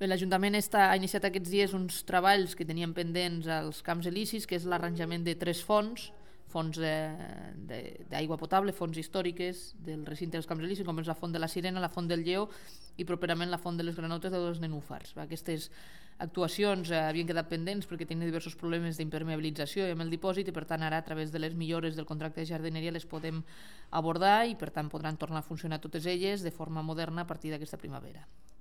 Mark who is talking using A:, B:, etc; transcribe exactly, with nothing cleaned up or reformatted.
A: L'Ajuntament ha iniciat aquests dies uns treballs que tenien pendents als camps elisis, que és l'arranjament de tres fonts, fonts d'aigua potable, fonts històriques del recinte dels camps elisis, com és la font de la Sirena, la font del Lleó i properament la font de les Granotes o dels Nenúfars. Aquestes actuacions havien quedat pendents perquè tenien diversos problemes d'impermeabilització i amb el dipòsit, i per tant ara a través de les millores del contracte de jardineria les podem abordar i per tant podran tornar a funcionar totes elles de forma moderna a partir d'aquesta primavera.